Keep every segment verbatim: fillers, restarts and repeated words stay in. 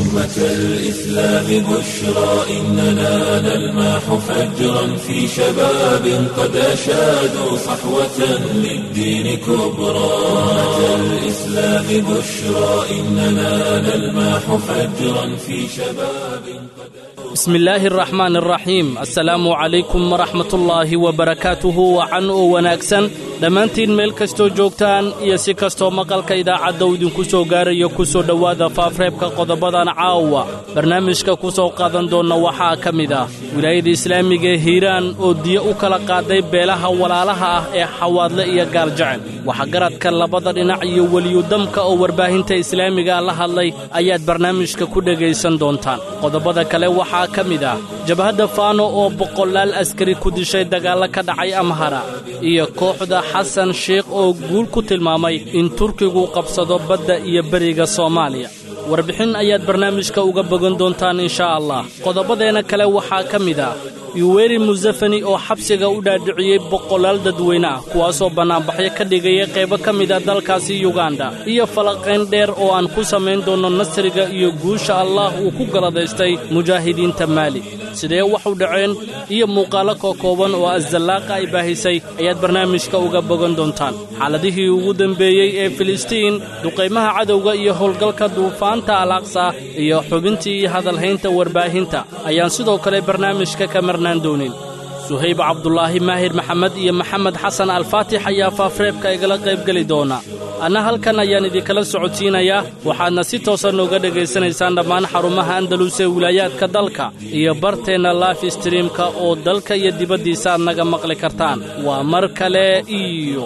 أمة الإسلام بشرى إننا نلمح فجرا في شباب قد أشادوا صحوة للدين كبرى. أمة الإسلام بشرى إننا نلمح فجرا في شباب قد Bismillaahi araxmaan araxiim. Assalaamu calaykum waraxmatullaahi wabarakaatuhu. Wacan oo wanaagsan dhammaantiin meel kastoo joogtaan iyo si kastoo maqalka idaacadda uu idinku soo gaarayo, ku soo dhowaada faafreebka qodobadan caawa barnaamijka ku soo qaadan doonna. Waxaa ka mid ah wilaayada islaamiga ee Hiiraan oo diyo u kala qaaday beelaha walaalaha ah ee Xawaadle iyo Gaaljecel. Waxgaradka labada dhinac iyo weliyudamka oo warbaahinta islaamiga la hadlay ayaad barnaamijka ku dhegaysan doontaan. Qodobada kale waxaa ka mid ah jabhadda Faano oo boqolaal askari ku dishay dagaallo ka dhacay Amhara, iyo kooxda Xasan Sheikh oo guul ku tilmaamay in Turkigu qabsado badda iyo beriga Soomaaliya. Warbixin ayaad barnaamijka uga bogan doontaan, inshaa Allah. Qodobadeenna kale waxaa ka mid ah Yuweri Musafani oo xabsiga u dhaadhiciyey boqolaal dadweyne ah, kuwaasoo bannaanbaxyo ka dhigaya qaybo ka mid a dalkaasi Yuganda, iyo falaqayn dheer oo aan ku samayn doonno nasriga iyo guusha Allaah uu ku galadaystay mujaahidiinta Maali, sidee wax u dhaceen, iyo muuqaallo kookooban oo Asallaaqa ay baahisay ayaad barnaamijka uga bogan doontaan. Xaaladihii ugu dembeeyey ee Filistiin, duqaymaha cadowga iyo howlgalka Duufaanta Alaaqsa, iyo xubintii hadalhaynta warbaahinta ayaan sidoo kale barnaamijka ka marnaan doonin. Suhayb Cabdulaahi, Maahir Maxamed iyo Maxamed Xasan Alfaatix ayaa faafreebka igala qaybgeli doona. Anna halkan ayaan idinkala socodsiinayaa, waxaadna si toosa nooga dhegaysanaysaan dhammaan xarumaha Andalus ee wilaayaadka dalka iyo barteenna life streamka oo dalka iyo dibaddiisa aad naga maqli kartaan. Waa mar kale iyo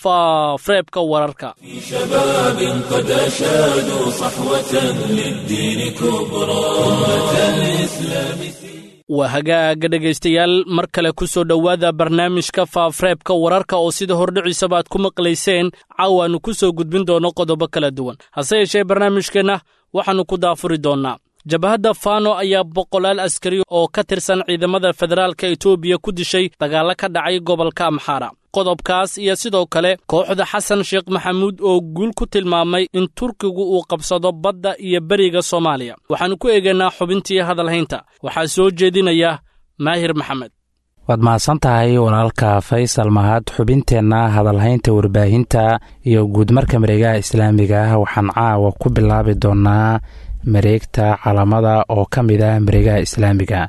faafreebka wararka. في شباب قد أشادوا صحوة للدين كبرى. أمة الإسلام Waa hagaaga, dhegaystayaal, mar kale ku soo dhowaada barnaamijka faafreebka wararka oo sida hordhiciisaba aad ku maqlayseen caawaannu ku soo gudbin doono qodobo kala duwan. Hase yeeshee, barnaamijkeenna waxaannu ku daafuri doonnaa jabhadda Faano ayaa boqolaal askari oo ka tirsan ciidamada federaalka Etoobiya ku dishay dagaallo ka dhacay gobolka Amxaara. Qodobkaas iyo sidoo kale kooxda Xasan Sheekh Maxamuud oo guul ku tilmaamay in Turkigu uu qabsado badda iyo beriga Soomaaliya waxaannu ku eegaynaa xubintii hadalhaynta. Waxaa soo jeedinaya Maahir Maxamed. Waad mahadsan tahay, walaalka Faysal Mahad. Xubinteenna hadalhaynta warbaahinta iyo guudmarka mareegaha islaamiga ah waxaan caawa ku bilaabi doonaa mareegta Calamada oo ka mid ah mareegaha islaamiga.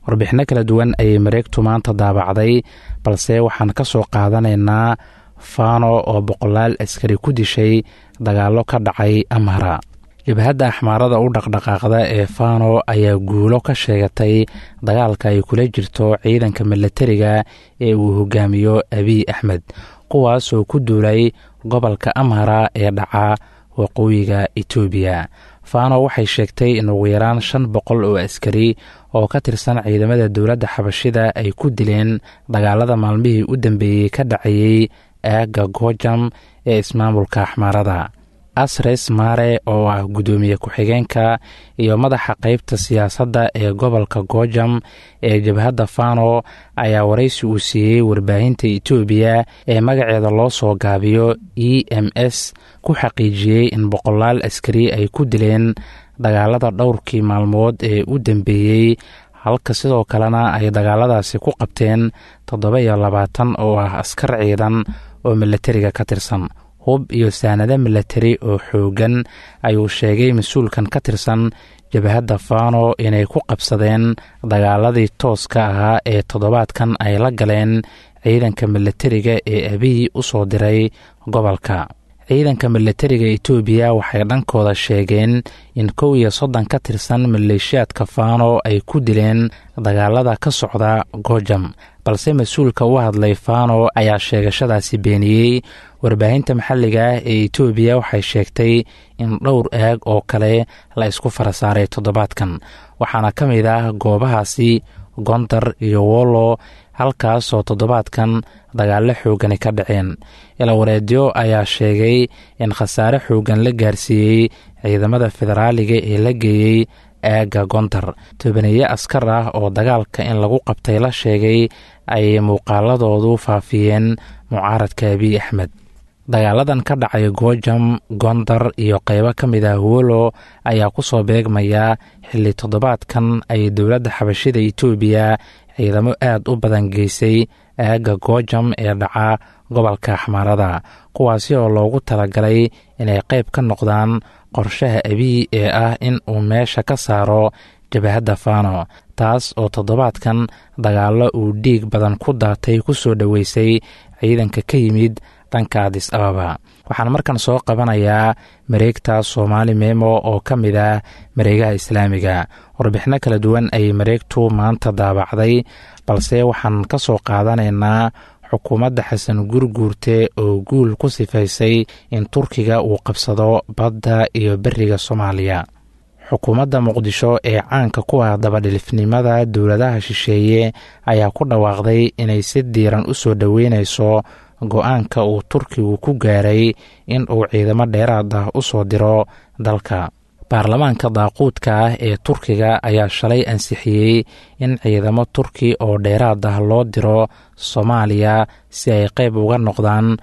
Warbixino kala duwan ayay mareegtu maanta daabacday, balse waxaan ka soo qaadanaynaa Faano oo boqolaal askari ku dishay dagaallo ka dhacay Amhara. Jabhadda Axmaarada u dhaqdhaqaaqda ee Faano ayaa guulo ka sheegatay dagaalka ay kula jirto ciidanka milatariga ee uu hogaamiyo Abiy Axmed, kuwaasoo ku duulay gobolka Amhara ee dhaca waqooyiga Etoobiya. Faano waxay sheegtay in ugu yaraan shan boqol oo askari oo ka tirsan ciidamada dowladda Xabashida ay ku dileen dagaalada maalmihii u dambeeyey ka dhacayey aagga Goojam ee ismaamulka Axmaarada. Asres Mare oo ah guddoomiye ku-xigeenka iyo madaxa qeybta siyaasadda ee gobolka Goojam ee jabhadda Fano ayaa waraysi uu siiyey warbaahinta Etoobiya ee magaceeda loo soo gaabiyo E M S ku xaqiijiyey in boqolaal askari ay ku dileen dagaalada dhowrkii maalmood ee u dambeeyey, halka sidoo kalena ay dagaaladaasi ku qabteen toddoba iyo labaatan oo ah askar ciidan oo milatariga ka tirsan, hub iyo saanado milatari oo xooggan ayuu sheegay mas-uulkan ka tirsan jabhadda Faano inay ku qabsadeen dagaaladii tooska ahaa ee toddobaadkan ay la galeen ciidanka milatariga ee Abiy u soo diray gobolka. Ciidanka milatariga Etoobiya waxay dhankooda sheegeen in kow iyo soddon ka tirsan maleeshiyaadka Faano ay ku dileen dagaalada ka socda Goojam, balse mas-uulka u hadlay Faano ayaa sheegashadaasi beeniyey. Warbaahinta maxalliga ah ee Etoobiya waxay sheegtay in dhowr aag oo kale la isku fara saaray toddobaadkan, waxaana ka mid ah goobahaasi Gondar iyo Wollo, halkaasoo toddobaadkan dagaallo xoogani ka dhaceen. Ilawareedyo ayaa sheegay in khasaare xooggan la gaarsiiyey ciidamada federaaliga ee la geeyey aagga Gondar. Tobaneeye askar ah oo dagaalka in lagu qabtay la sheegay ayay muuqaaladoodu faafiyeen mucaaradka Abiy Axmed. Dagaaladan ka dhacay Goojam, Gondar iyo qeybo ka mid ah Wolo ayaa ku soo beegmaya xilli toddobaadkan ay dowladda xabashida Itoobiya ciidamo aad u badan geysay aagga Goojam ee dhaca gobolka Axmaarada, kuwaasi oo loogu talagalay inay qayb ka noqdaan qorshaha Abiy ee ah in uu meesha ka saaro jabahadda Faano, taas oo toddobaadkan dagaallo uu dhiig badan ku daatay ku soo dhoweysay ciidanka ka yimid dhanka Adis Ababa. Waxaan markan soo qabanayaa mareegta Soomaali Memo oo ka mid ah mareegaha islaamiga. Warbixino kala duwan ayay mareegtu maanta daabacday, balse waxaan ka soo qaadanaynaa xukuumadda Xasan Gurguurte oo guul ku sifaysay in Turkiga uu qabsado badda iyo beriga Soomaaliya. Xukuumadda Muqdisho ee caanka ku ah dabadhilifnimada dowladaha shisheeye ayaa ku dhawaaqday inay si diiran u soo dhoweynayso go-aanka uu Turkigu ku gaaray in uu ciidamo dheeraad ah u soo diro dalka. Baarlamaanka daaquudka ah ee Turkiga ayaa shalay ansixiyey in ciidamo Turki oo dheeraad ah loo diro Soomaaliya si ay qayb uga noqdaan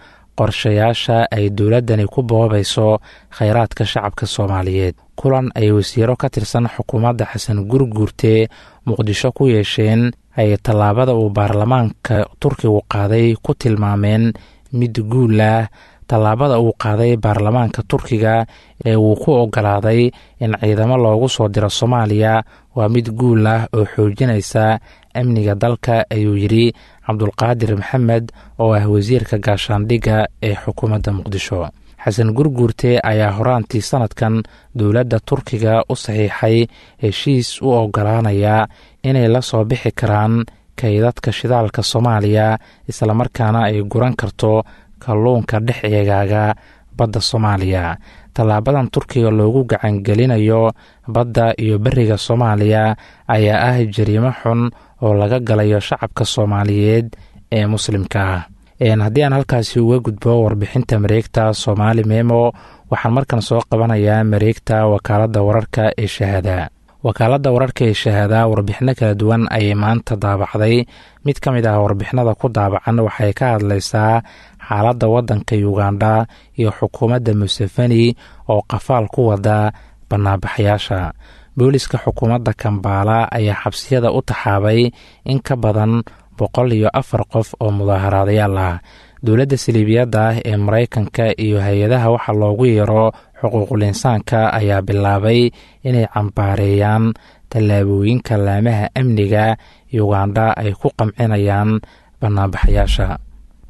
qorshayaasha ay dowladdani ku boobayso kheyraadka shacabka Soomaaliyeed. Kulan ay wasiiro ka tirsan xukuumadda Xasan Gurguurte Muqdisho ku yeesheen ay tallaabada uu baarlamaanka Turkigu qaaday ku tilmaameen mid guul ah. Tallaabada uu qaaday baarlamaanka Turkiga ee uu ku ogolaaday in ciidamo loogu soo diro Soomaaliya waa mid guul ah oo xoojinaysa amniga dalka, ayuu yidhi Cabdulqaadir Maxamed oo ah wasiirka gaashaandhigga ee xukuumadda Muqdisho. Xasan Gurguurte ayaa horaantii sanadkan dowladda Turkiga u saxiixay heshiis u ogolaanaya inay la soo bixi karaan kaydadka shidaalka Soomaaliya, islamarkaana ay guran karto kalluunka dhex eegaaga badda Soomaaliya. Tallaabadan Turkiga loogu gacangelinayo badda iyo beriga Soomaaliya ayaa ah jariimo xun oo laga galayo shacabka Soomaaliyeed ee muslimka ah. Haddii aan halkaasi uga gudbo warbixinta mareegta Soomaali Memo, waxaan markan soo qabanayaa mareegta wakaaladda wararka ee Shahaada. Wakaaladda wararka ee Shahaada warbixino kala duwan ayay maanta daabacday. Mid ka mid ah warbixinada ku daabacan waxay ka hadlaysaa xaaladda waddanka Ugandha iyo xukuumadda Museveni oo qafaal ku wada banaanbaxayaasha. Booliska xukuumadda Kambaala ayaa xabsiyada u taxaabay in ka badan boqol iyo afar qof oo mudaaharaadayaal ah. Dowladda saliibiyadda ah ee Maraykanka iyo hay-adaha waxa loogu yeero xuquuqul insaanka ayaa bilaabay inay cambaareeyaan tallaabooyinka laamaha amniga Ugandha ay ku qamcinayaan banaanbaxayaasha.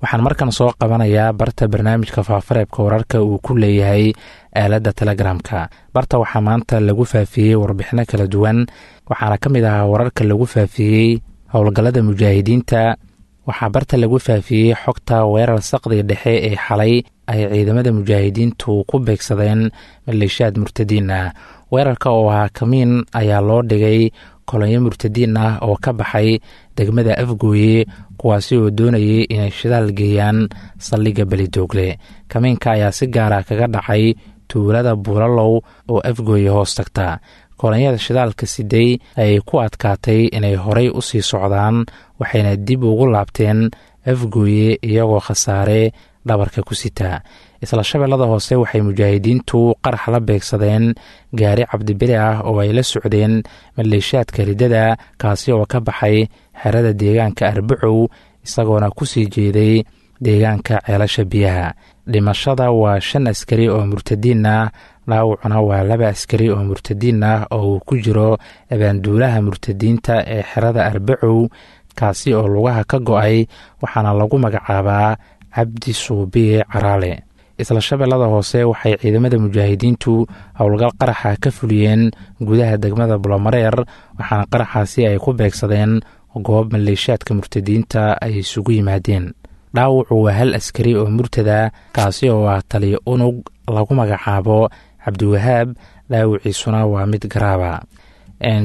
Waxaan markan soo qabanayaa barta barnaamijka faafareebka wararka uu ku leeyahay aaladda Telegramka. Barta waxaa maanta lagu faafiyey warbixino kala duwan, waxaana ka mid ahaa wararka lagu faafiyey howlgallada mujaahidiinta. Waxaa barta lagu faafiyey xogta weerar saqdi dhexe ee xalay ay ciidamada mujaahidiintu ku beegsadeen maleeshiyaad murtadiin ah. Weerarka oo ahaa kamiin ayaa loo dhigay kolonyo murtadiin ah oo ka baxay degmada Afgooye, kuwaasi oo doonayay inay shidaal geeyaan saldhigga Belidoogle. Kamiinka ayaa si gaara kaga dhacay tuulada Buulalow oo Afgooye hoos tagta. Kolonyada shidaalka siday ayay ku adkaatay inay horay u sii socdaan, waxayna dib ugu laabteen Afgooye iyagoo khasaare dhabarka ku sita. Isla Shabeellada Hoose waxay mujaahidiintu qarax la beegsadeen gaari cabdibili ah oo ay la socdeen maleeshiyaadka riddada, kaasi oo ka baxay xerada deegaanka Arbacow isagoona ku sii jeeday deegaanka Ceelasha Biyaha. Dhimashada waa shan askari oo murtadiin ah, dhaawacuna waa laba askari oo murtadiin ah oo uu ku jiro abaanduulaha murtadiinta ee xerada Arbacow, kaasi oo lugaha ka go-ay, waxaana lagu magacaabaa Cabdi Suubiye Caraale. Isla Shabeellada Hoose waxay ciidamada mujaahidiintu howlgal qaraxa ka fuliyeen gudaha degmada Bulomareer, waxaana qaraxaasi ay ku beegsadeen goob maleeshiyaadka murtadiinta ay isugu yimaadeen. Dhaawacu waa hal askari oo murtada, kaasi oo ah taliyo unug lagu magacaabo Cabdiwahaab, dhaawiciisuna waa mid garaaba.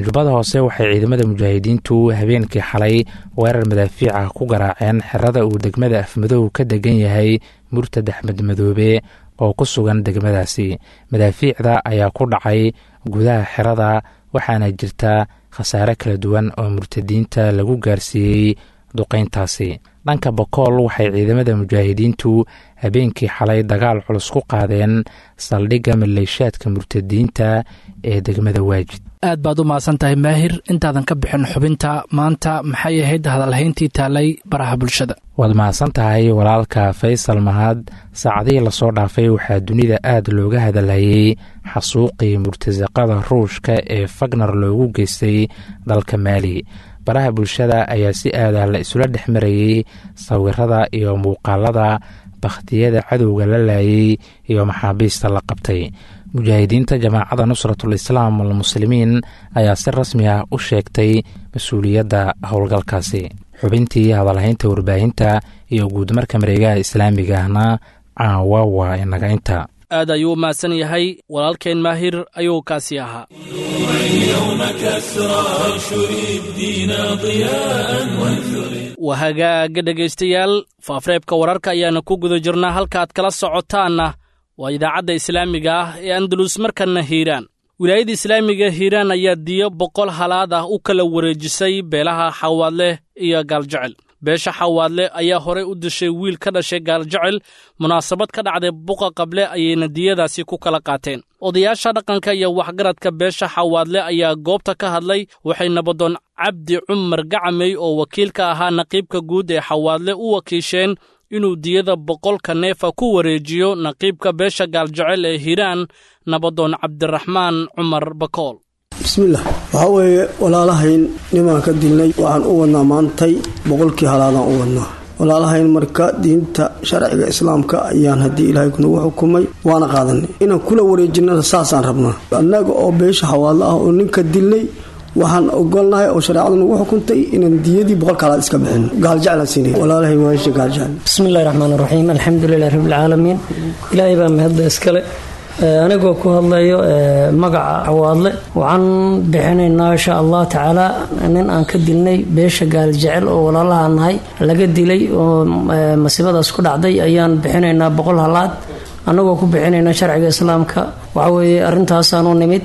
Jubbada Hoose waxay ciidamada mujaahidiintu habeenkii xalay weerar madaafiica ku garaaceen xerada uu degmada Afmadow ka degan yahay murtad Axmed Madoobe oo ku sugan degmadaasi. Madaafiicda ayaa ku dhacay gudaha xerada, waxaana jirta khasaare kala duwan oo murtadiinta lagu gaarsiiyey duqeyntaasi. Dhanka Bokool, waxay ciidamada mujaahidiintu habeenkii xalay dagaal culus ku qaadeen saldhigga maleeshaadka murtadiinta ee degmada Waajid. Aad baad u mahadsan tahay, Maahir. Intaadan ka bixin xubinta maanta, maxay ahayd hadalhayntii taalay baraha bulshada? Waad mahadsan tahay, walaalka Faysal Mahad. Saacadihii lasoo dhaafay waxaa dunida aada looga hadalhayay xasuuqii murtasaqada Ruushka ee Fagner loogu geystay dalka Maali. Baraha bulshada ayaa si aadah la isula dhex marayey sawirada iyo muuqaalada bakhtiyada cadowga la laayay iyo maxaabiista la qabtay. Mujaahidiinta Jamaacada Nusratul Islaam Walmuslimiin ayaa si rasmi ah u sheegtay mas-uuliyadda howlgalkaasi. Xubintii hadalhaynta warbaahinta iyo guudmarka mareegaha islaamiga ahna caawa waa inaga inta. Aad ayuu u mahadsan yahay walaalkeen Maahir ayuu kaasi ahaa. يوم كسرى انشر الدين ضياء وانثر. Wahagaaga dhegaystayaal, faafreebka wararka ayaana ku guda jirnaa, halka aad kala socotaanna waa idaacadda islaamiga ah ee Andalus. Markanna Hiiraan, wilaayadda islaamiga Hiiraan ayaa diyo boqol halaad ah u kala wareejisay beelaha Xawaadleh iyo Gaaljecel. Beesha Xawaadle ayaa horey u dishay wiil ka dhashay Gaaljecel. Munaasabad ka dhacday Buqa Qable ayayna diyadaasi ku kala qaateen. Odayaasha dhaqanka iyo waxgaradka beesha Xawaadle ayaa goobta ka hadlay. Waxay nabadoon Cabdi Cumar Gacamey oo wakiilka ahaa naqiibka guud ee Xawaadle u wakiisheen inuu diyada boqolka neefa ku wareejiyo naqiibka beesha Gaaljecel ee Hiiraan, nabadoon Cabdiraxmaan Cumar Bakool. Bismillaah. Waxaa weeye, walaalahayn nimaan ka dilnay waxaan u wadnaa maantay boqolkii halaadaan u wadnaa walaalahayn. Marka diinta sharciga islaamka ayaan haddii Ilaahay kunagu xukumay waana qaadanay, inaan kula wareejinana saasaan rabnaa. Annaga oo beesha Xawaadlo ah oo ninka dilnay waxaan ogolnahay oo shareecadu nagu xukuntay inaan diyadii boqolka halaad iska bixino. Gaaljeclaan siinay walaalahay, waasha Gaaljecel. Bismillahi raxmaan raxiim, alxamdulilahi rabbilcaalamiin. Ilaahay baa mahadda iskale. Anigoo ku hadlayo magaca Xawaadle, waxaan bixinaynaa insha Allah tacaala nin aan ka dilnay beesha Gaaljecel oo walaalaha nahay laga dilay oo masiibadaas ku dhacday ayaan bixinaynaa boqol halaad, anagoo ku bixinayna sharciga islaamka. Waxaweeye arrintaasaan u nimid,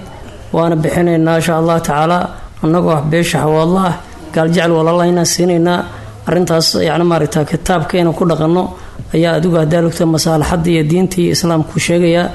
waana bixinaynaa insha Allah tacaala anagoo ah beesha Xawaadla ah. Gaaljecel walaalaha inaan siinaynaa arrintaas, yacni maaragta kitaabka inaan ku dhaqanno ayaa adigu hadaa lugta masaalaxadda iyo diinta iyo islaamku sheegayaa.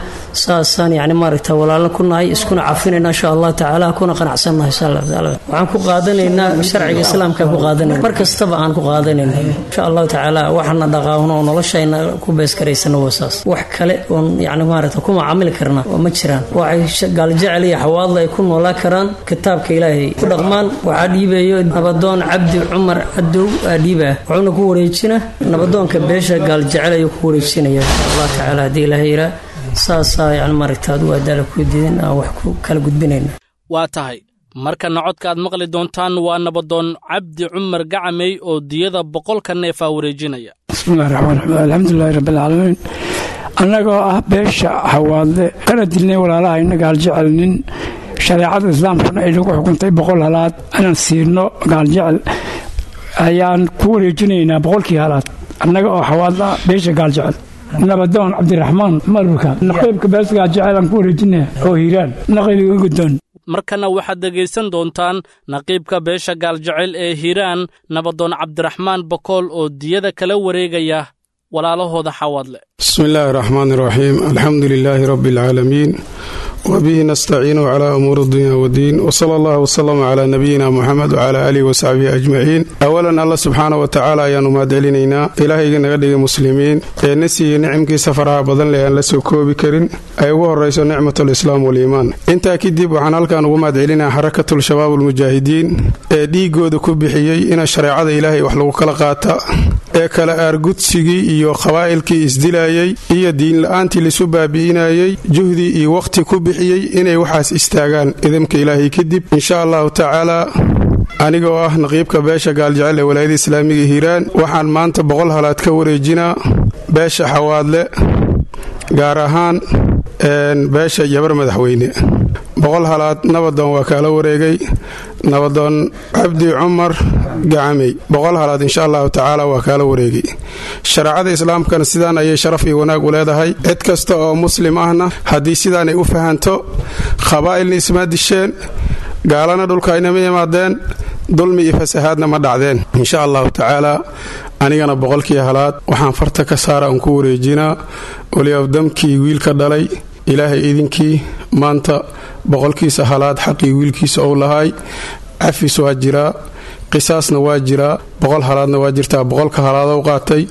Saasaan yacni maaragta walaalo ku nahay, iskuna cafinayna insha Allah tacaala, kuna qanacsannahay insha Allah tacaala. Waxaan ku qaadanaynaa sharciga islaamka ku qaadanayna, mar kastaba aan ku qaadanayna insha Allahu tacaala. Waxaana dhaqaawno oo noloshayna ku beeskaraysana waa saas. Wax kale oon yacni maaragta ku macaamili karna oo ma jiraan. Waxay Gaaljecel iyo Xawaadla ay ku noolaan karaan kitaabka Ilaahay ku dhaqmaan. Waxaa dhiibayo nabadoon Cabdi Cumar Cadow aa dhiibaa, wuxuuna ku wareejina nabadoonka beesha Gaaljecel ayuu ku wareejinaya insha Allah tacaala. Haddii Ilaahay yiraa saasaa yani maaragta adigu adaala ku diidin aan wax ku kala gudbinayna. Waa tahay, markana codka aad maqli doontaan waa nabadoon Cabdi Cumar Gacamey oo diyada boqolka neefaa wareejinaya. Bismillahi raxmaan raxiim, alxamdulilahi rabbilcaalamiin. Annagoo ah beesha Xawaadle kana dilnay walaalaha ina Gaaljecel nin, shareecada islaamkuna ay nagu xukuntay boqol halaad inaan siino Gaaljecel, ayaan ku wareejinaynaa boqolkii halaad annaga oo Xawaadla beesha Gaaljecel. Nabadoon Cabdiraxmaan Marurka, naqiibka beesha Gaaljecel aan ku wareejinaya oo Hiiraan, naqiibiga guddoon. Markana waxaad dhegaysan doontaan naqiibka beesha Gaaljecel ee Hiiraan, nabadoon Cabdiraxmaan Bakool oo diyada kala wareegaya walaalahooda Xawaadle. Bismi illaahi raxmaan iraxiim, alxamdu lilaahi rabbi alcaalamiin, wabihi nastaciinu calaa umuuri dunya wddiin, wsala allah wslama calaa nabiyina Muxamed wcalaa aalihi wasaxbihi ajmaciin. Awalan, Alla subxaana wa tacaala ayaanu mahad celinaynaa, Ilaahayga naga dhigay muslimiin ee na siiyey nicamkiisa faraha badan leh aan la soo koobi karin, ay ugu horayso nicmat alislaam waliimaan. Intaa kadib, waxaan halkan ugu mahad celinaa Xarakatul Shabaab almujaahidiin ee dhiigooda ku bixiyey ina shareecada Ilaahay wax lagu kala qaata, ee kala aargudsigii iyo qabaa'ilkii isdilayey iyo diinla-aantii laisu baabi'inayey juhdi iyo wakhti ku bixiyey inay waxaas istaagaan. Idamka Ilaahay kadib, insha Allahu tacaala, aniga oo ah naqiibka beesha Gaaljecel ee Walaayada Islaamiga Hiiraan, waxaan maanta boqol halaad ka wareejinaa beesha Xawaadle, gaar ahaan beesha Jabar Madaxweyne. Boqol halaad nabadoon waa kaala wareegay, nabadoon Cabdi Cumar Gacamey. Boqol halaad insha Allahu tacaala waa kaala wareegay. Shareecada islaamkana sidaan ayay sharaf iyo wanaag u leedahay. Cid kasta oo muslim ahna haddii sidaanay u fahanto, qabaa'ilna isma disheen, gaalana dhulka aynama imaadeen, dulmi iyo fasahaadna ma dhacdeen insha Allahu tacaala. Anigana boqolkii halaad waxaan farta ka saara aan ku wareejinaa waliafdamkii wiilka dhalay. Ilaahay idinkii maanta boqolkiisa halaad xaqii wiilkiisa ou lahaay. Cafis waa jiraa, qisaasna waa jiraa, boqol halaadna waa jirtaa. Boqolka halaad ou qaatay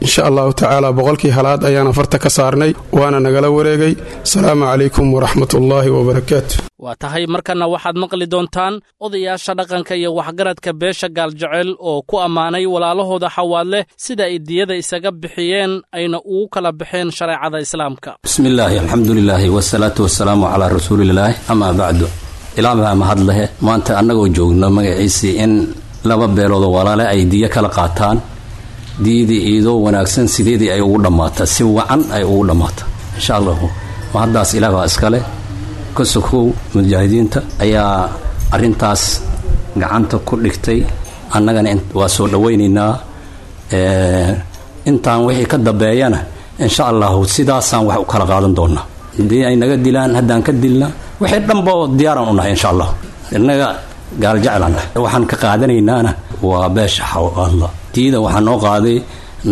insha allahu tacaala boqolkii halaad ayaana farta ka saarnay, waana nagala wareegay. Asalaamu calaykum waraxmatullaahi wabarakaatu. Waa tahay, markanna waxaad maqli doontaan odayaasha dhaqanka iyo waxgaradka beesha Gaaljecel oo ku ammaanay walaalahooda Xawaadleh sida ay diyada isaga bixiyeen ayna ugu kala baxeen shareecada Islaamka. Bismillaahi, alxamdulilaahi, wasalaatu wasalaamu calaa rasuulillaahi, amaa bacdu. Ilaa baa mahad lehe maanta annagoo joogno magaciisii in laba beeloodoo walaale ay diyo kala qaataan, diyadii iidoo wanaagsan sideedii ay ugu dhammaata, si wacan ay ugu dhammaata insha allahu. Mahaddaas ilaah baa iskale. Ka sokow, mujaahidiinta ayaa arrintaas gacanta ku dhigtay, annagana waa soo dhowaynaynaa. Intaan wixii ka dambeeyana insha allahu sidaasaan wax u kala qaadan doonaa. Haddii ay naga dilaan, haddaan ka dilna, wixii dhanba diyaaraan u nahay insha allah. Innaga Gaaljeclanah waxaan ka qaadanaynaana waa beesha Xawaadla. Diida waxaa noo qaaday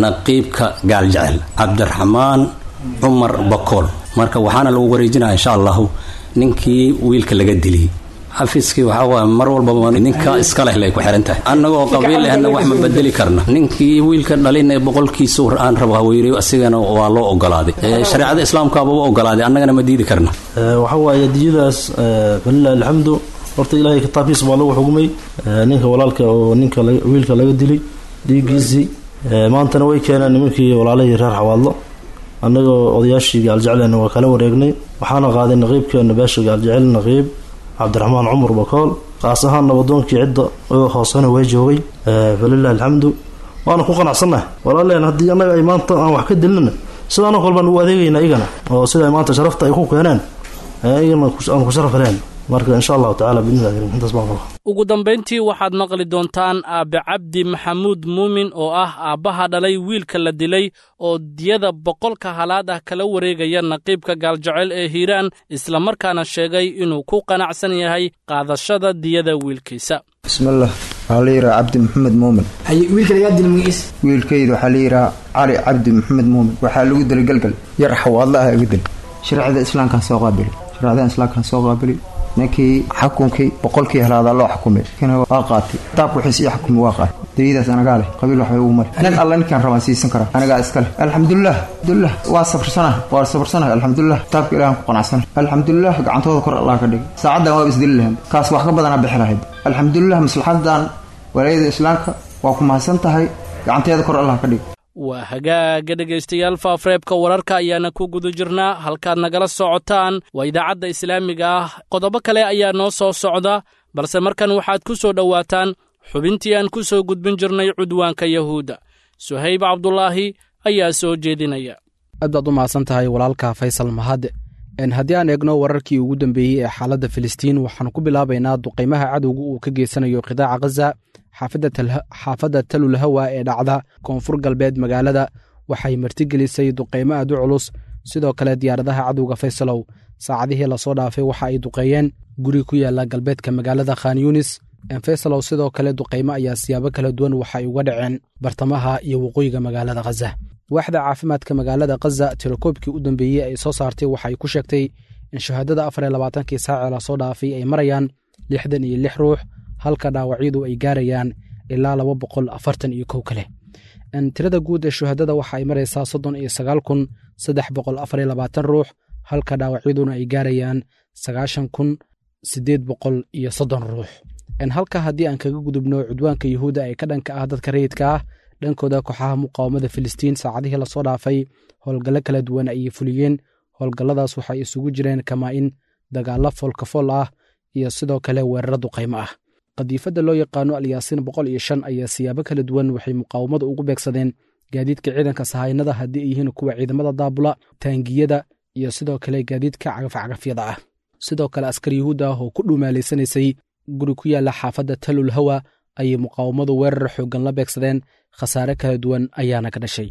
naqiibka Gaaljecel Cabdiraxmaan Cumar Bakool. Marka waxaana lagu wareejinaya insha allahu ninkii wiilka laga diliyey. Xafiiskii waxaa waay mar walbaba ninka iska leh lay ku xiran tahay. Annagoo qabiil lehna wax ma bedeli karna. Ninkii wiilka dhalin ee boqolkiisa aan rabo haweyreyo, asigana waa loo ogolaaday, shareecada Islaamkaaba u ogolaaday, annagana ma diidi karna. Waxa waaye diyadaas, falilahi alxamdu, horta Ilaahay kitaabkiisa baa lagu xugmay ninka walaalka oo ninka wiilka laga dilay dhiiggiisii. Maantana way keeneen nimankii walaalahii reer Xawaadlo. Annagoo odayaashii Gaaljeclena waa kala wareegnay, waxaana qaaday naqiibkeena beesha Gaaljecel, naqiib Cabdiraxmaan Cumar Bakool, qaas ahaan nabadoonkii cidda oo hoosena way joogay. Falilahi alxamdu, waana ku qanacsannahay walaaleen. Haddii annaga ay maanta aan wax ka dilnana, sidaanoo kale baan ugu adeegayna igana, oo sida maanta sharafta ay ku keeneen igana aan ku sharaf heleen. Marka insha allahu tacala biidnillahi karim intaas baan qabaa. Ugu dambayntii waxaad maqli doontaan aabe Cabdi Maxamuud Muumin oo ah aabbaha dhalay wiilka la dilay oo diyada boqolka halaad ah kala wareegaya naqiibka Gaaljecel ee Hiiraan, islamarkaana sheegay inuu ku qanacsan yahay qaadashada diyada wiilkiisa. Bismillaah, waxaa la yidhaha Cabdi Maxamed Muumin. Wiilka lagaa dilay magaciisa? Wiilkayda waxaa la yidhaha Cali Cabdi Maxamed Muumin. Waxaa lagu dilay Galgal, yar Xawaadla ah iga dil. Shareecada Islaamkaan soo qaabili, shareecada Islaamkaan soo qaabili. Ninkii xukunkii boqolkii helaadaa loo xukumay, waa qaatay kitaabka wixiis ii xukumay, waa qaatay. Dayadaas anagaa leh, qabiil waxbay ugu mari nin alla ninkaan rabaan siisan karaa, anagaa iska leh. Alxamdulilah, alxamdulilah, waa sabrsanah, waa sabrsanah. Alxamdulilah, kitaabka Ilahan ku qanacsana. Alxamdulilah, gacantooda kor Allah ka dhigay. Saacaddan waaba isdili lahayd, kaas wax ka badanaa bixi lahayd. Alxamdulilah, maslaxadan walaayada Islaamka waa ku mahadsan tahay, gacanteeda kor Allah ka dhigay. Waa hagaaga dhegaystayaal, faafreebka wararka ayaana ku guda jirnaa. Halkaad nagala socotaan waa idaacadda islaamiga ah. Qodobo kale ayaa noo soo socda, balse markan waxaad ku soo dhowaataan xubintii aan ku soo gudbin jirnay cudwaanka Yahuudda. Suhayb Cabdulaahi ayaa soo jeedinaya. Aad baad u mahadsan tahay walaalka Faysal Mahad. Haddii aan eegno wararkii ugu dambeeyey ee xaaladda Filistiin, waxaanu ku bilaabaynaa duqaymaha cadowga uu ka geysanayo qidaaca Khaza. Xaafadda Talulhawa ee dhacda koonfur galbeed magaalada waxay martigelisay duqaymo aad u culus. Sidoo kale diyaaradaha cadowga, Faysalow, saacadihii lasoo dhaafay waxa ay duqeeyeen guri ku yaala galbeedka magaalada Khan Yunis. Faysalow, sidoo kale duqaymo ayaa siyaabo kala duwan waxay uga dhaceen bartamaha iyo waqooyiga magaalada Khaza. Waaxda caafimaadka magaalada Khaza tirokoobkii u dambeeyey ay soo saartay waxay ku sheegtay in shahaadada afar iyo labaatankii saacee lasoo dhaafay ay marayaan lixdan iyo lix ruux, halka dhaawacyadu ay gaarayaan ilaa laba boqol afartan iyo kow kale. Tirada guud ee shuhadada waxa ay maraysaa soddon iyo sagaal kun saddex boqol afar iyo labaatan ruux, halka dhaawacyaduna ay gaarayaan sagaashan kun siddeed boqol iyo soddon ruux. Halka haddii aan kaga gudubno cudwaanka Yuhuudda ee ka dhanka ah dadka rayidka ah, dhankooda kooxaha muqaawamada Filistiin saacadihii lasoo dhaafay howlgallo kala duwan ayay fuliyeen. Howlgalladaas waxay isugu jireen kamaa-in, dagaallo foolkafool ah iyo sidoo kale weeraro duqaymo ah. Qadiifadda loo yaqaano Alyaasiin boqol iyo shan ayaa siyaabo kala duwan waxay muqaawamadu ugu beegsadeen gaadiidka ciidanka sahaynada, haddii ay yihiin kuwa ciidamada daabula, taangiyada iyo sidoo kale gaadiidka cagafcagafyada ah. Sidoo kale askar Yuhuud ah oo ku dhuumaalaysanaysay guri ku yaalla xaafadda Talul Hawa ayay muqaawamadu weerar xooggan la beegsadeen, khasaare kala duwan ayaana ka dhashay.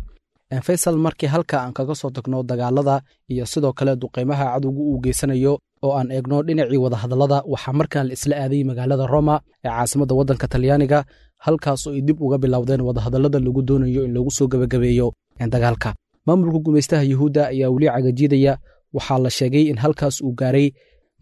Faysal, markii halka aan kaga soo tagno dagaalada iyo sidoo kale duqaymaha cadowgu uu geysanayo oo aan eegno dhinacii wadahadallada, waxaa markaan la isla aaday magaalada Roma ee caasimadda waddanka Talyaaniga, halkaas oo ay dib uga bilowdeen wadahadallada lagu doonayo in lagu soo gebagabeeyo dagaalka. Maamulka gumaystaha Yuhuudda ayaa weli cagajiidaya. Waxaa la sheegay in halkaas uu gaaray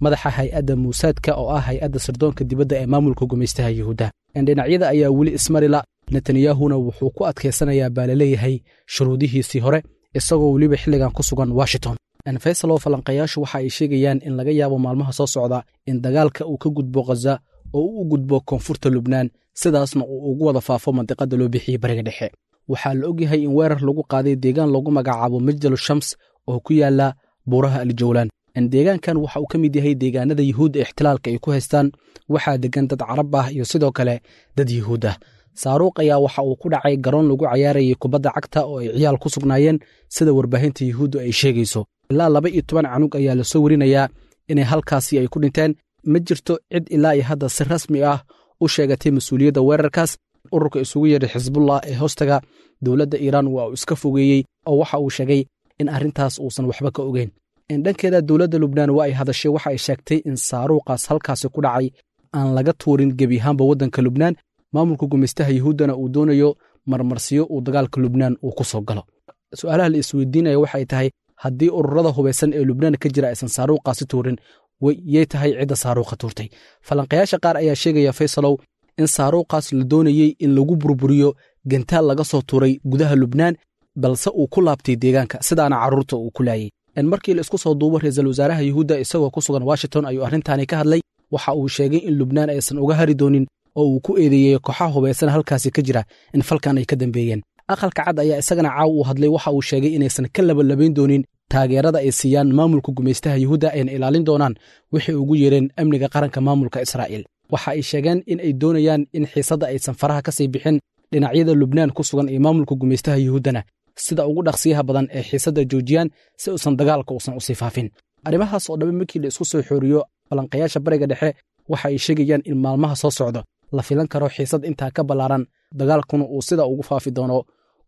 madaxa hay-adda Muusaadka oo ah hay-adda sirdoonka dibadda ee maamulka gumaystaha Yuhuudda. Dhinacyada ayaa weli ismarila. Netanyahuna wuxuu ku adkaysanayaa baa laleeyahay shuruudihiisii hore, isagoo weliba xilligan ku sugan Washington. Faysal oo falanqayaashu waxa ay sheegayaan in laga yaabo maalmaha soo socda in dagaalka uu ka gudbo Khaza oo uu u gudbo koonfurta Lubnaan, sidaasna uu ugu wada faafo mandiqada loo bixiyey Bariga Dhexe. Waxaa la ogyahay in weerar lagu qaaday deegaan lagu magacaabo Majdalu Shams oo ku yaala buuraha Aljawlaan. Deegaankan waxa uu ka mid yahay deegaanada Yuhuudda ixtilaalka ay ku haystaan. Waxaa degan dad Carab ah iyo sidoo kale dad Yuhuud ah. Saaruuq ayaa waxa uu ku dhacay garoon lagu cayaarayay kubadda cagta oo ay ciyaal ku sugnaayeen, sida warbaahinta Yuhuuddu ay sheegayso. Ilaa laba iyo toban canug ayaa lasoo werinayaa inay halkaasi ay ku dhinteen. Ma jirto cid ilaa iyo hadda si rasmi ah u sheegatay mas-uuliyadda weerarkaas. Ururka isugu yeedhay Xisbullah ee hoostaga dowladda Iiraan waa uu iska fogeeyey oo waxa uu sheegay in arrintaas uusan waxba ka ogeyn. Dhankeeda dowladda Lubnaan waa ay hadashay. Waxa ay sheegtay in saaruuqaas halkaasi ku dhacay aan laga tuurin gebi ahaanba waddanka Lubnaan, maamulka gumaystaha Yuhuuddana uu doonayo marmarsiyo uu dagaalka Lubnaan uu ku soo galo. Su-aalaha la isweydiinaya waxay tahay, haddii ururada hubaysan ee Lubnaan ka jira aysan saaruuqaasi tuurin, yay tahay cidda saaruuqa tuurtay? Falanqayaasha qaar ayaa sheegaya, Faysalow, in saaruuqaas la doonayey in lagu burburiyo gantaal laga soo tuuray gudaha Lubnaan, balse uu ku laabtay deegaanka, sidaana carruurta uu ku laayey. Markii la isku soo duubo, ra-iisul wasaaraha Yuhuudda isagoo ku sugan Washington ayuu arrintaani ka hadlay. Waxa uu sheegay in Lubnaan aysan uga hari doonin oo uu ku eedeeyey kooxaha hubaysan halkaasi ka jira in falkan ay ka dambeeyeen. Aqalka Cad ayaa isagana caaw uu hadlay. Waxa uu sheegay inaysan ka labalabayn doonin taageerada ay siiyaan maamulka gumaystaha Yuhuudda, ayna ilaalin doonaan waxay ugu yeereen amniga qaranka maamulka Israa'iil. Waxa ay sheegeen in ay doonayaan in xiisadda aysan faraha ka sii bixin dhinacyada Lubnaan ku sugan iyo maamulka gumaystaha Yuhuuddana sida ugu dhaqsiyaha badan ee xiisadda joojiyaan si uusan dagaalka uusan usii faafin. Arrimahaas oo dhammi markii la isku soo xooriyo, falanqayaasha Bariga Dhexe waxa ay sheegayaan in maalmaha soo socda la filan karo xiisad intaa ka ballaaran, dagaalkuna uu sida ugu faafi doono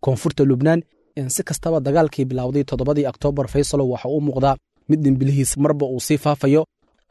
koonfurta Lubnaan. Si kastaba, dagaalkii bilowday toddobadii Oktoobar, Faysalo, waxa uu muuqdaa mid dhimbilihiis marba uu sii faafayo.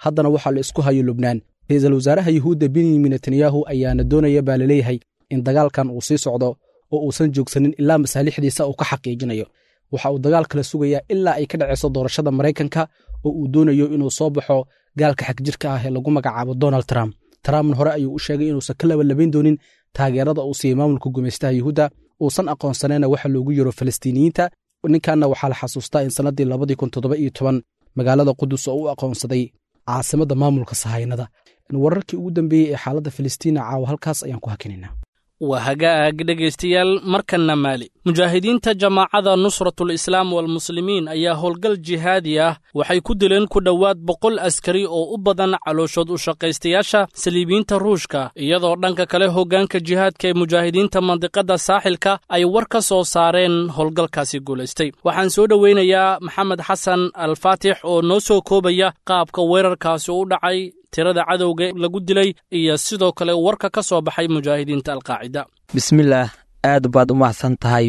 Haddana waxaa la isku hayo Lubnaan. Ra-iisul wasaaraha Yuhuudda Benyamin Netanyahu ayaana doonaya baa laleeyahay in dagaalkan uu sii socdo oo uusan joogsanin ilaa masaalixdiisa uu ka xaqiijinayo. Waxa uu dagaal kala sugayaa ilaa ay ka dhacayso doorashada Maraykanka oo uu doonayo inuu soo baxo gaalka xagjirka ah ee lagu magacaabo Donald Trump. Trumpna hore ayuu u sheegay inuusan ka labalabayn doonin taageerada uu siiyey maamulka gumaystaha Yuhuudda, uusan aqoonsanayna waxa loogu yeero Falastiiniyiinta. Ninkanna waxaa la xasuustaa in sannaddii labadii kun toddoba iyo toban magaalada Qudus oo u aqoonsaday caasimadda maamulka sahaynada. Wararkii ugu dambeeyey ee xaaladda Filistiina caawa halkaas ayaan ku hakinaynaa. Waa hagaag, dhegaystayaal. Markanna Maali, mujaahidiinta jamaacada Nusratul Islaam walmuslimiin ayaa howlgal jihaadi ah waxay ku dileen ku dhowaad boqol askari oo u badan calooshood u shaqaystayaasha saliibiyiinta Ruushka, iyadoo dhanka kale hoggaanka jihaadka ee mujaahidiinta mandiqadda saaxilka ay war ka soo saareen howlgalkaasi guulaystay. Waxaan soo dhoweynayaa Maxamed Xasan Alfaatix oo noo soo koobaya qaabka weerarkaasi u dhacay, tirada cadowga lagu dilay iyo sidoo kale warka ka soo baxay mujaahidiinta Alqaacida. Bismillaah, aad baad u mahadsan tahay.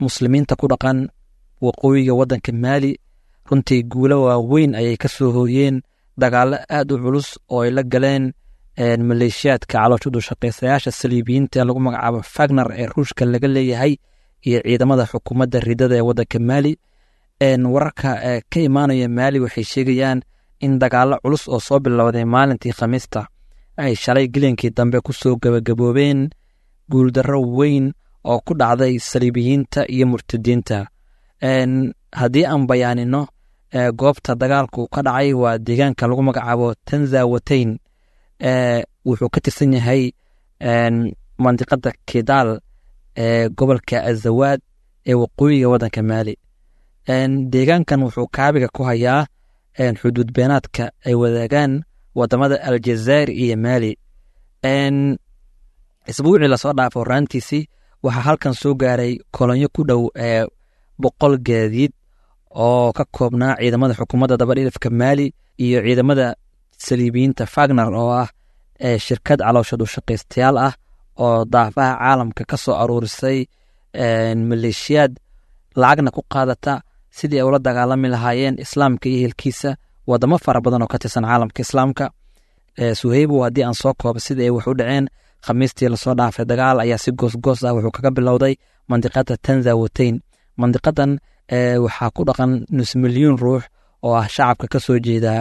Muslimiinta ku dhaqan waqooyiga waddanka Maali runtii guulo waaweyn ayay ka soo hooyeen dagaallo aad u culus oo ay la galeen maleeshiyaadka calooshadu shaqaysayaasha saliibiyiinta ee lagu magacaabo Fagner ee Ruushka laga leeyahay iyo ciidamada xukuumadda ridada ee waddanka Maali. Wararka ka imaanaya Maali waxay sheegayaan in dagaallo culus oo soo bilowday maalintii Khamiista ay shalay gelinkii dambe ku soo gebagaboobeen guuldarro weyn oo ku dhacday saliibiyiinta iyo murtadiinta. Haddii aan bayaanino goobta dagaalku ka dhacay, waa deegaanka lagu magacaabo Tanzawateyn. Wuxuu ka tirsan yahay mandiqada Kidaal ee gobolka Azawaad ee waqooyiga waddanka Maali. Deegaankan wuxuu kaabiga ku hayaa xuduud beenaadka ay wadaagaan wadamada Aljazair iyo Maali. Isbuucii lasoo dhaafo horaantiisii waxaa halkan soo gaaray kolonyo ku dhow ee boqol gaadiid oo ka koobnaa ciidamada xukuumadda dabadhilifka Maali iyo ciidamada saliibiyiinta Fagner oo ah shirkad calooshadu shaqaystayaal ah oo daafaha caalamka ka soo aruurisay maleeshiyaad lacagna ku qaadata sidii ay ula dagaalami lahaayeen islaamka iyo ehelkiisa wadamo fara badan oo ka tirsan caalamka islaamka. Suheybo, haddii aan soo koobo sidii ay wax u dhaceen, Khamiistii lasoo dhaafay dagaal ayaa si goosgoos ah wuxuu kaga bilowday mandiqada Tanzawateyn. Mandiqadan waxaa ku dhaqan nus milyuun ruux oo ah shacabka ka soo jeeda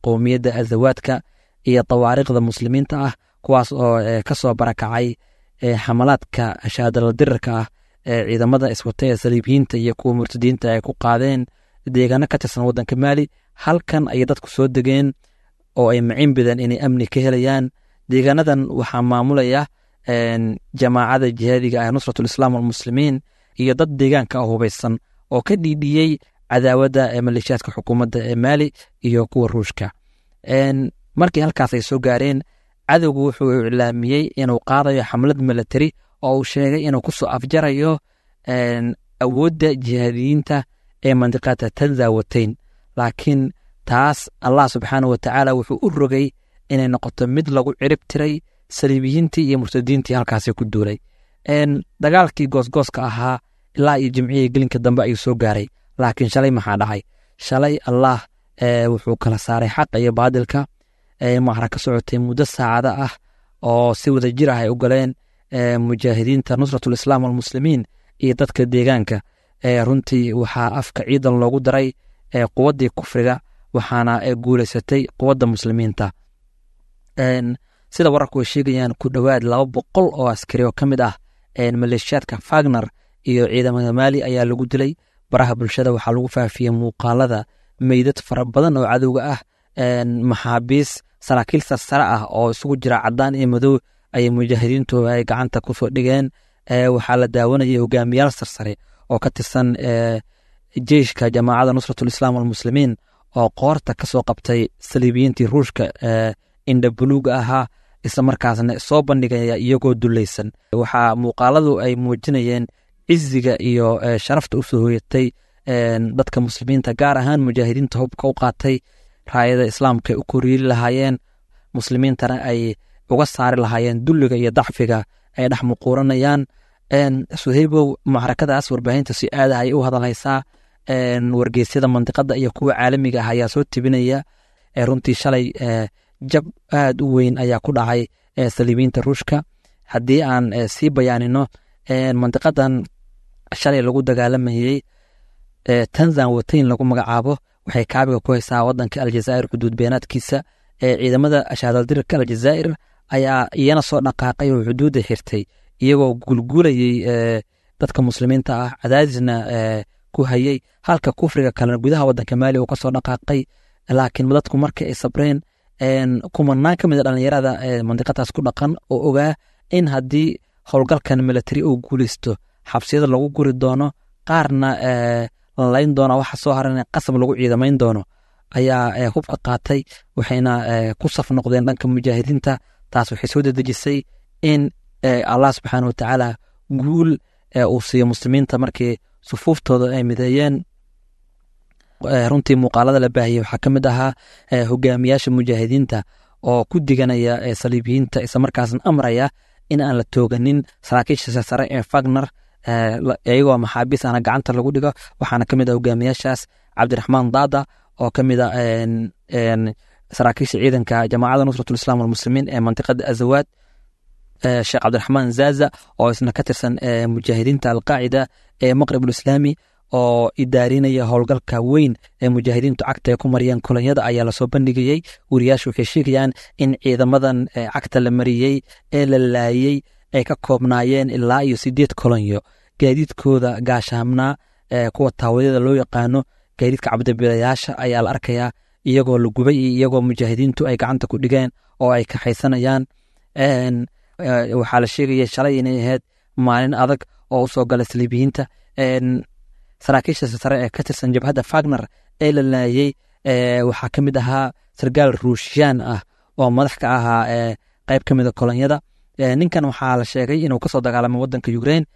qowmiyadda Azawaadka iyo tawaariikhda muslimiinta ah, kuwaas oo kasoo barakacay xamalaadka shaadaladirirka ah ee ciidamada iswata ee saliibiyiinta iyo kuwa murtadiinta ay ku qaadeen deegaano ka tirsan wadanka Maali. Halkan ayay dadku soo degeen oo ay maciin bideen inay amni ka helayaan. Deegaanadan waxaa maamulaya jamaacada jihaadiga ah Nusratul Islaam walmuslimiin iyo dad deegaanka ah hubeysan oo ka dhiidhiyey cadaawadda ee maleeshiyaadka xukuumadda ee Maali iyo kuwa Ruushka. Markii halkaas ay soo gaareen, cadowgu wuxuu iclaamiyey inuu qaadayo xamlad milatari oo uu sheegay inuu kusoo afjarayo awoodda jihaadiyiinta ee mandiqada Tanzawateyn. Laakiin taas Allah subxaanahu watacaala wuxuu u rogay inay noqoto mid lagu cirib tiray saliibiyiintii iyo murtadiintii halkaasi ku duulay. Dagaalkii goosgooska ahaa ilaa iyo jimcihii gelinka dambe ayuu soo gaaray. Laakiin shalay maxaa dhacay? Shalay Allah wuxuu kala saaray xaqa iyo baadilka. Macra ka socotay muddo saacada ah oo si wada jir ah ay u galeen mujaahidiinta Nusratul Islaam walmuslimiin iyo dadka deegaanka. Runtii waxaa afka ciidan loogu daray quwaddii kufriga, waxaana guuleysatay quwadda muslimiinta. Sida wararku ay sheegayaan, ku dhowaad laba boqol oo askari oo ka mid ah maleeshiyaadka Fagner iyo ciidamada Maali ayaa lagu dilay. Baraha bulshada waxaa lagu faafiyey muuqaalada meydad fara badan oo cadowga ah, maxaabiis saraakiil sarsare ah oo isugu jira cadaan iyo madow ayay mujaahidiintu ay gacanta kusoo dhigeen. Waxaa la daawanayay hogaamiyaal sarsare oo ka tirsan jeyshka jamaacada Nusratul Islaam walmuslimiin oo qoorta kasoo qabtay saliibiyiintii Ruushka indha buluuga ahaa, isla markaasna soo bandhigaya iyagoo dulaysan. Waxaa muuqaaladu ay muujinayeen ciziga iyo sharafta usoo hoyatay dadka muslimiinta, gaar ahaan mujaahidiinta hubka u qaatay raayada islaamka ay u koryeeli lahaayeen, muslimiintana ay uga saari lahaayeen dulliga iyo dacfiga ay dhex muquuranayaan. Suhaybow, macrakadaas warbaahinta si aad ah ayay u hadalhaysaa. Wargeysyada mandiqada iyo kuwa caalamiga ah ayaa soo tebinaya. Runtii shalay jab aad u weyn ayaa ku dhacay saliibiyiinta Ruushka. Haddii aan sii bayaanino, mandiqadan shalay lagu dagaalamayey Tanzan Wateyn lagu magacaabo waxay kaabiga ku haysaa wadanka Aljazaa'ir xuduud beenaadkiisa. Ciidamada shaadaldirirka Aljazaa'ir ayaa iyana soo dhaqaaqay oo xuduudda xirtay, iyagoo guulguulayey dadka muslimiinta ah, cadaadisna ku hayey, halka kufriga kalena gudaha wadanka Maali uu kasoo dhaqaaqay. Laakiin dadku markii ay sabreen, kumanaan ka mid a dhalinyarada mandiqadaas ku dhaqan oo ogaa in haddii howlgalkan milatari uu guuleysto xabsiyada lagu guri doono, qaarna la layn doona, waxa soo haran qasab lagu ciidamayn doono, ayaa hubka qaatay, waxayna ku saf noqdeen dhanka mujaahidiinta. Taas waxay soo dedejisay in Allah subxaana watacaala guul uu siiyo muslimiinta markii sufuuftooda ay mideeyeen. Runtii muuqaalada la baahiyey waxaa ka mid ahaa hogaamiyaasha mujaahidiinta oo ku diganaya saliibiyiinta, isla markaasna amraya in aan la tooganin saraakiisha sare ee Fagner iyagoo maxaabiis ahna gacanta lagu dhigo. Waxaana ka mid ah hogaamiyaashaas Cabdiraxmaan Daada oo ka mid ah saraakiisha ciidanka jamaacada Nusratul Islaam walmuslimiin ee mantiqada Azawaad, Sheekh Cabdiraxmaan Zaza oo isna ka tirsan mujaahidiinta Alqaacida ee Maqribul Islaami oo idaarinaya howlgalka weyn ee mujaahidiintu cagta ay ku mariyeen kolonyada ayaa lasoo bandhigayey. Wariyaashu waxay sheegayaan in ciidamadan cagta la mariyey ee la laayey ay ka koobnaayeen ilaa iyo sideed kolonyo, gaadiidkooda gaashaamnaa, kuwa taawadyada loo yaqaano, gaadiidka cabdibilayaasha ayaa la arkayaa iyagoo la gubay iyo iyagoo mujaahidiintu ay gacanta ku dhigeen oo ay kaxaysanayaan. Waxaa la sheegaya shalay inay ahayd maalin adag oo usoo galay saliibiyiinta. Saraakiisha sare ee ka tirsan jabhadda Fagner ee la laayey waxaa ka mid ahaa sargaal Ruushiyaan ah oo madax ka ahaa qeyb ka mida kolonyada. Ninkan waxaa la sheegay inuu kasoo dagaalamay wadanka Ukraine.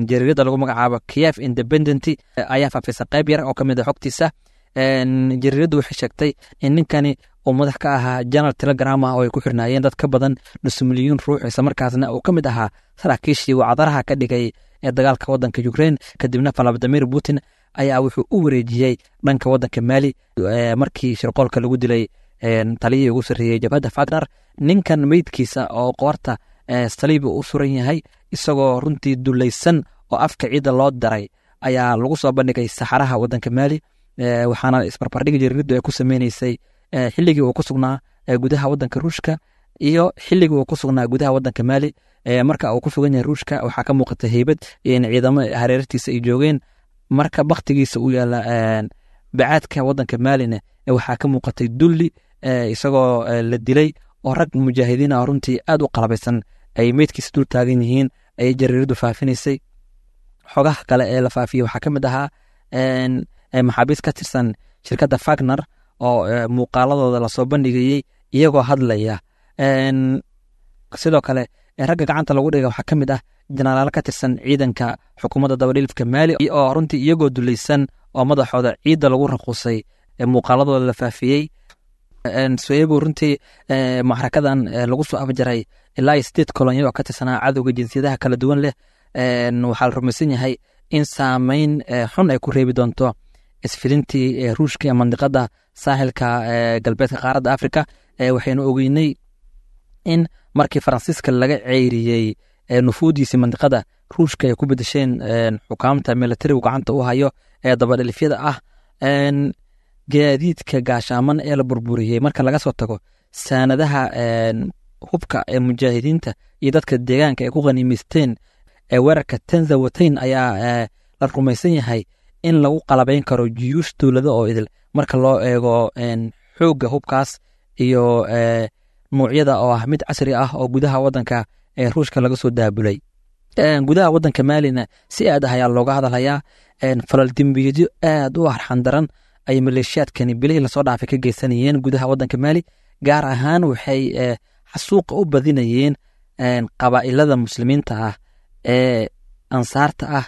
Jariirada lagu magacaabo Kiev Independent ayaa faafisay qeyb yar oo ka mid a xogtiisa. Jariiradu waxay sheegtay in ninkani uu madax ka ahaa janal Telegram ah oo ay ku xirnaayeen dad ka badan nus milyuun ruux, isla markaasna uu ka mid ahaa saraakiishii wacdaraha ka dhigay ee dagaalka wadanka Ukraine. Kadibna Vladimir Putin ayaa wuxuu u wareejiyey dhanka wadanka Mali markii shirqoolka lagu dilay taliyihii ugu sarreeyey jabhadda Fagner. Ninkan meydkiisa oo qoorta Saliib u suran yahay, isagoo runtii dulaysan oo afka ciidda loo daray ayaa lagu soo bandhigay saxaraha wadanka Maali. Waxaana isbarbardhigi jariiradu ay ku sameyneysay xilligii uu ku sugnaa gudaha wadanka Ruushka iyo xilligii uu ku sugnaa gudaha wadanka Maali. Marka uu ku sugan yahay Ruushka waxaa ka muuqata heybad iyo in ciidamo hareertiisa ay joogeen. Marka baktigiisa uu yaala bacaadka wadanka Maalina waxaa ka muuqatay dulli, isagoo la dilay oo rag mujaahidiin ah runtii aad u qalabaysan ay meydkiisa dul taagan yihiin ayay jariiradu faafinaysay. Xogaha kale ee la faafiyey waxaa ka mid ahaa maxaabiis ka tirsan shirkadda Fagner oo muuqaaladooda lasoo bandhigayey iyagoo hadlaya. Sidoo kale ragga gacanta lagu dhiga waxaa ka mid ah jenaraalo ka tirsan ciidanka xukuumadda dabadhilifka Maali oo runtii iyagoo dulaysan oo madaxooda ciidda lagu raquusay muuqaaladooda la faafiyey. Soyebo runtii macrakadan lagu soo afjaray ilaa iyo sideed kolonyo oo ka tirsanaa cadowga jinsiyadaha kala duwan leh. Waxaa la rumaysan yahay in saameyn xun ay ku reebi doonto isfidintii Ruushka ee mandiqada saaxilka galbeedka qaaradda Afrika. Waxaynu ogeynay in markii Faransiiska laga ceyriyey nufuudiisii mandiqada, Ruushka ay ku bedesheen xukaamta militarigu gacanta u hayo ee dabadhilifyada ah. Gaadiidka gaashaaman ee la burburiyey marka laga soo tago saanadaha hubka ee mujaahidiinta iyo dadka deegaanka ay ku khaniimaysteen ee weerarka Tanzawateyn ayaa la rumaysan yahay in lagu qalabayn karo jiyuush dowlado oo idil marka loo eego xoogga hubkaas iyo nuucyada oo ah mid casri ah oo gudaha wadanka ee Ruushka laga soo daabulay. Gudaha wadanka Maalina si aad ah ayaa looga hadalhayaa falal dembiyeedyo aad u arxan daran ay maleeshiyaadkani bilihii lasoo dhaafay ka geysanayeen gudaha wadanka Maali. Gaar ahaan waxay xasuuqa u badinayeen qabaa'ilada muslimiinta ah ee ansaarta ah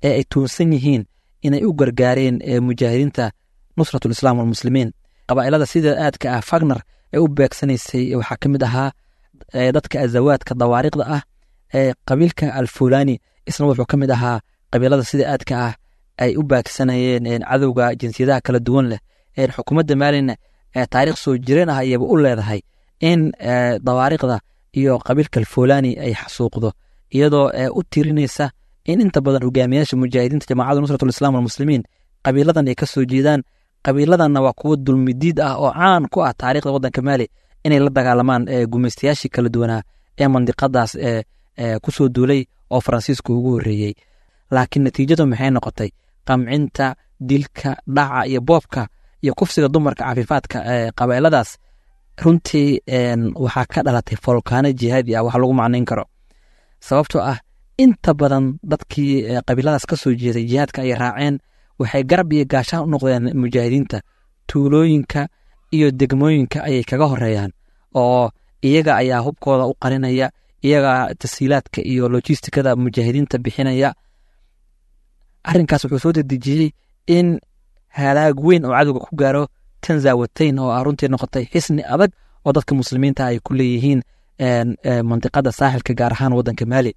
ee ay tuunsan yihiin inay u gargaareen mujaahidiinta Nusratul Islaam walmuslimiin. Qabaa'ilada sida aadka ah Fagner ay u beegsanaysay waxaa ka mid ahaa dadka azawaadka dawaariiqda ah ee qabiilka Alfulani, isna wuxuu ka mid ahaa qabiilada sida aadka ah ay u baagsanayeen cadowga jinsiyadaha kala duwan leh. Xukuumadda Maalina taariikh soo jireen ah ayayba u leedahay in dawaariiqda iyo qabiilka Alfulani ay xasuuqdo, iyadoo u tirinaysa in inta badan hogaamiyaasha mujaahidiinta jamaacadda Nusratul Islaam walmuslimiin qabiiladan ay ka soo jeedaan. Qabiiladanna waa kuwo dulmidiid ah oo caan ku ah taariikhda wadanka Maali inay la dagaalamaan gumaystayaashii kala duwanaa ee mandiqadaas kusoo duulay oo Faransiisku ugu horreeyey. Laakiin natiijadu maxay noqotay? Qamcinta, dilka, dhaca iyo boobka iyo kufsiga dumarka cafiifaadka ee qabaa'iladaas runtii waxaa ka dhalatay folkaano jihaadi ah wax lagu macnayn karo, sababtoo ah inta badan dadkii qabiiladaas ka soo jeeday jihaadka ay raaceen waxay garab iyo gaashaan u noqdeen mujaahidiinta. Tuulooyinka iyo degmooyinka ayay kaga horeeyaan oo iyaga ayaa hubkooda u qarinaya, iyaga tasiilaadka iyo lojistikada mujaahidiinta bixinaya. Arrinkaas wuxuu soo dedejiyey in halaag weyn oo cadowga ku gaaro Tanzawateyn oo ah runtii noqotay xisni adag oo dadka muslimiinta ay ku leeyihiin mandiqada saaxilka gaar ahaan wadanka Maali.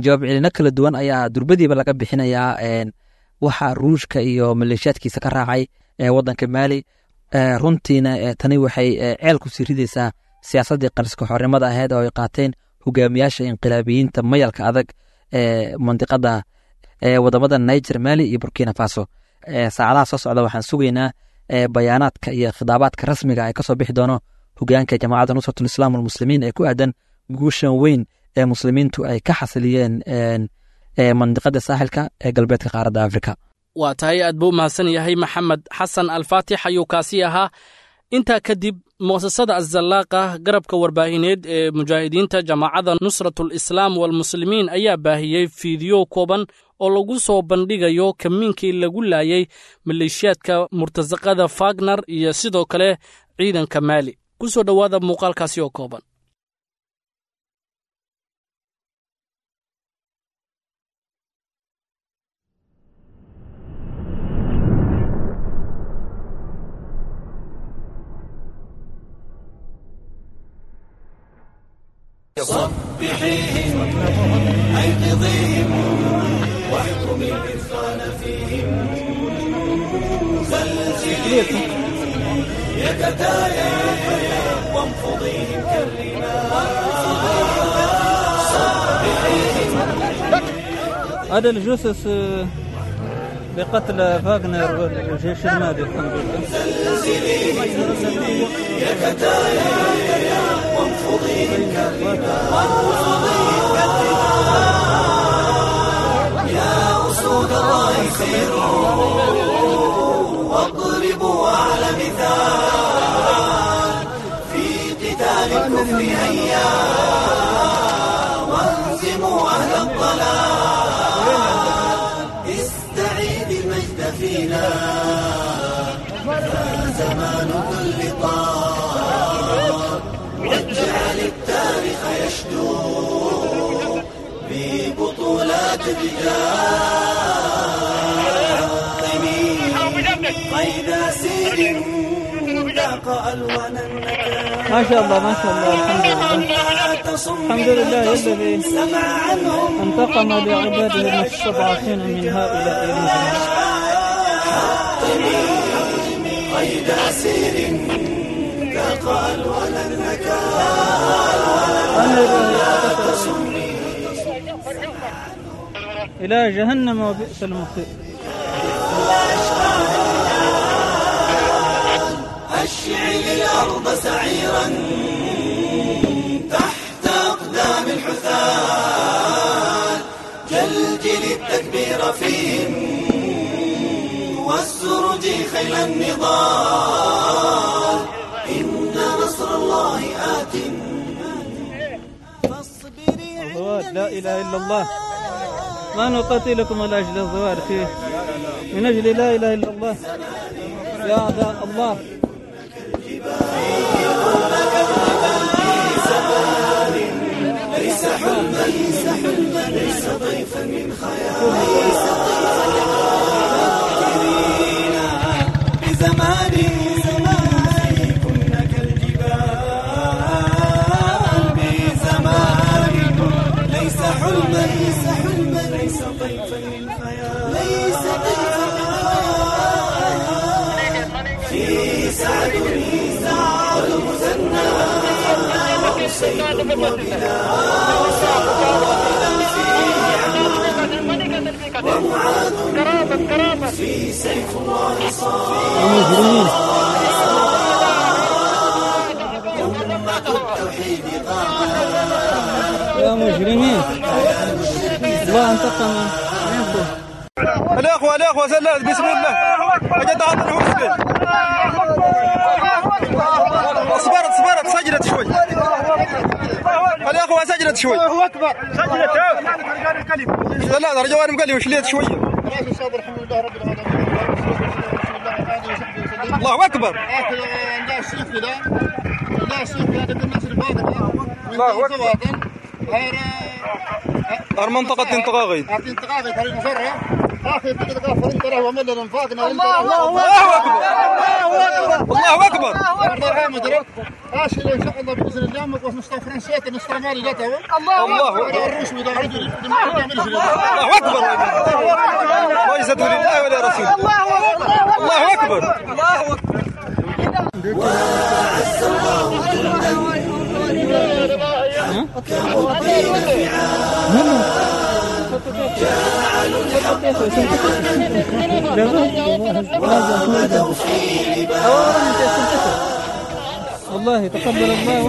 Jawaab celino kala duwan ayaa durbadiiba laga bixinayaa waxa Ruushka iyo maleeshiyaadkiisa ka raacay wadanka Maali. Runtiina tani waxay ceel ku sii ridaysaa siyaasaddii qariska xornimada ahayd oo ay qaateen hogaamiyaasha inqilaabiyiinta mayalka adag ee mandiqada wadamada Niger, Mali iyo Burkina Faso. Saacadaha soo socda waxaan sugaynaa bayaanaadka iyo khidaabaadka rasmiga ay kasoo bixi doono hogaanka jamaacadda Nusratul Islaam walmuslimiin ee ku aadan guushan weyn ee muslimiintu ay ka xasiliyeen mandiqada saaxilka ee galbeedka qaaradda Afrika. Waa tahay, aad buu u mahadsan yahay Maxamed Xasan Alfaatix ayuu kaasi ahaa. Intaa kadib mu'asasada Azallaaqa garabka warbaahineed ee mujaahidiinta jamaacadda Nusratul Islaam walmuslimiin ayaa baahiyey fiidiyo kooban oo lagu soo bandhigayo kamiinkii lagu laayay maleeshiyaadka murtasaqada Fagner iyo sidoo kale ciidanka Maali. Ku soo dhowaada muuqaalkaasi oo kooban. صبحيهم أيقظيهم واحكمي الإذقان فيهم زلزليهم يتتايا وانفضيهم كالرمال. هذا الجثث لقتل فاغنر والجيش المالي الحمد لله. يا كتايا وانفضيهم كالرمال يا أسود الله سيروا واضربوا على مثال في قتال الكفر هيا وانزموا أهل الضلال. استعيد المجد فينا فزمان كل طار واجعل التاريخ يشدو ببطولات الرجال. قيد سير ذاق ألوان النكال. ما شاء الله ما شاء الله الحمد لله الحمد لله الذي انتقم لعباده المستضعفين من هؤلاء المجرمين. قيد سير ذاق ألوان النكال. إلى جهنم وبئس المصير. أشعل الأرض سعيرا تحت أقدام الحثال جلجل التكبير فيهم والسرج خيل النضال. إن نصر الله آت. الزوار لا إله إلا الله. ما نقاتلكم من أجل الزوار فيه من أجل لا إله إلا الله يا أعداء الله. ليس حلما ليس حلما ليس ضيفا من خيال ليس ضيفا فكرينا بزمان زمان كنا كالجبال بزمان ليس حلما ليس حلما ليس ضيفا من خيال ليس ضيفا من خيال في سعد والمثنى وحسين وبلال ومعاذ في سيف الله صار أمة التوحيد غابت يا مجرمين الله انتقم منكم. الأخوة الأخوة سلام بسم الله أجد عطل وسكن صبرت صبرت سجلت شوي الأخوة سجلت شوي الله أكبر سجلت لا رجوان مقلي وشليت شوية الله أكبر الله أكبر. منطقة انتقاغي الله أكبر الله أكبر. الله أكبر. ليس لله ولا رسول. الله أكبر. الله أكبر. وأعز الله جندا حكموا الدين فعال جعلوا الحق وغدوا في لبال. والله تقبل الله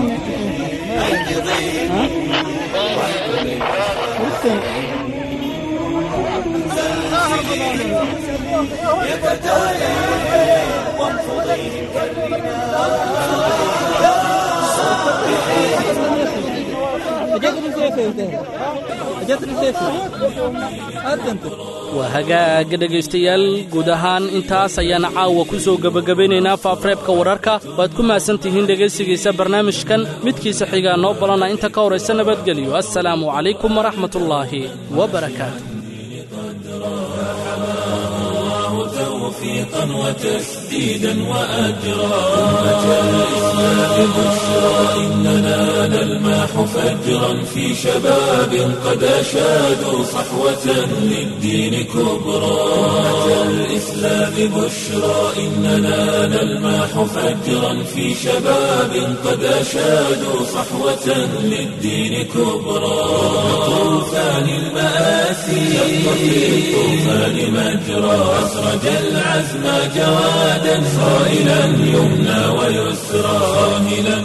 Waa hagaaga dhegaystayaal, guud ahaan intaas ayaan caawa ku soo gebagabaynaynaa faafreebka wararka. Waad ku mahadsan tihiin dhegaysigiisa barnaamijkan midkiisa xigaa noo balana inta ka horaysa nabadgelyo. Assalaamu calaykum waraxmatullaahi wabarakaatu. توفيقا وتسليما. تسديدا وأجرا. أمة الإسلام بشرى إننا نلمح فجرا في شباب قد أشادوا صحوة للدين كبرى. أمة الإسلام بشرى إننا نلمح فجرا في شباب قد أشادوا صحوة للدين كبرى. طوفان المآسي شق في الطوفان مجرى، أسرج العزم جوادا صائلا يمنى ويسرى، صاهلا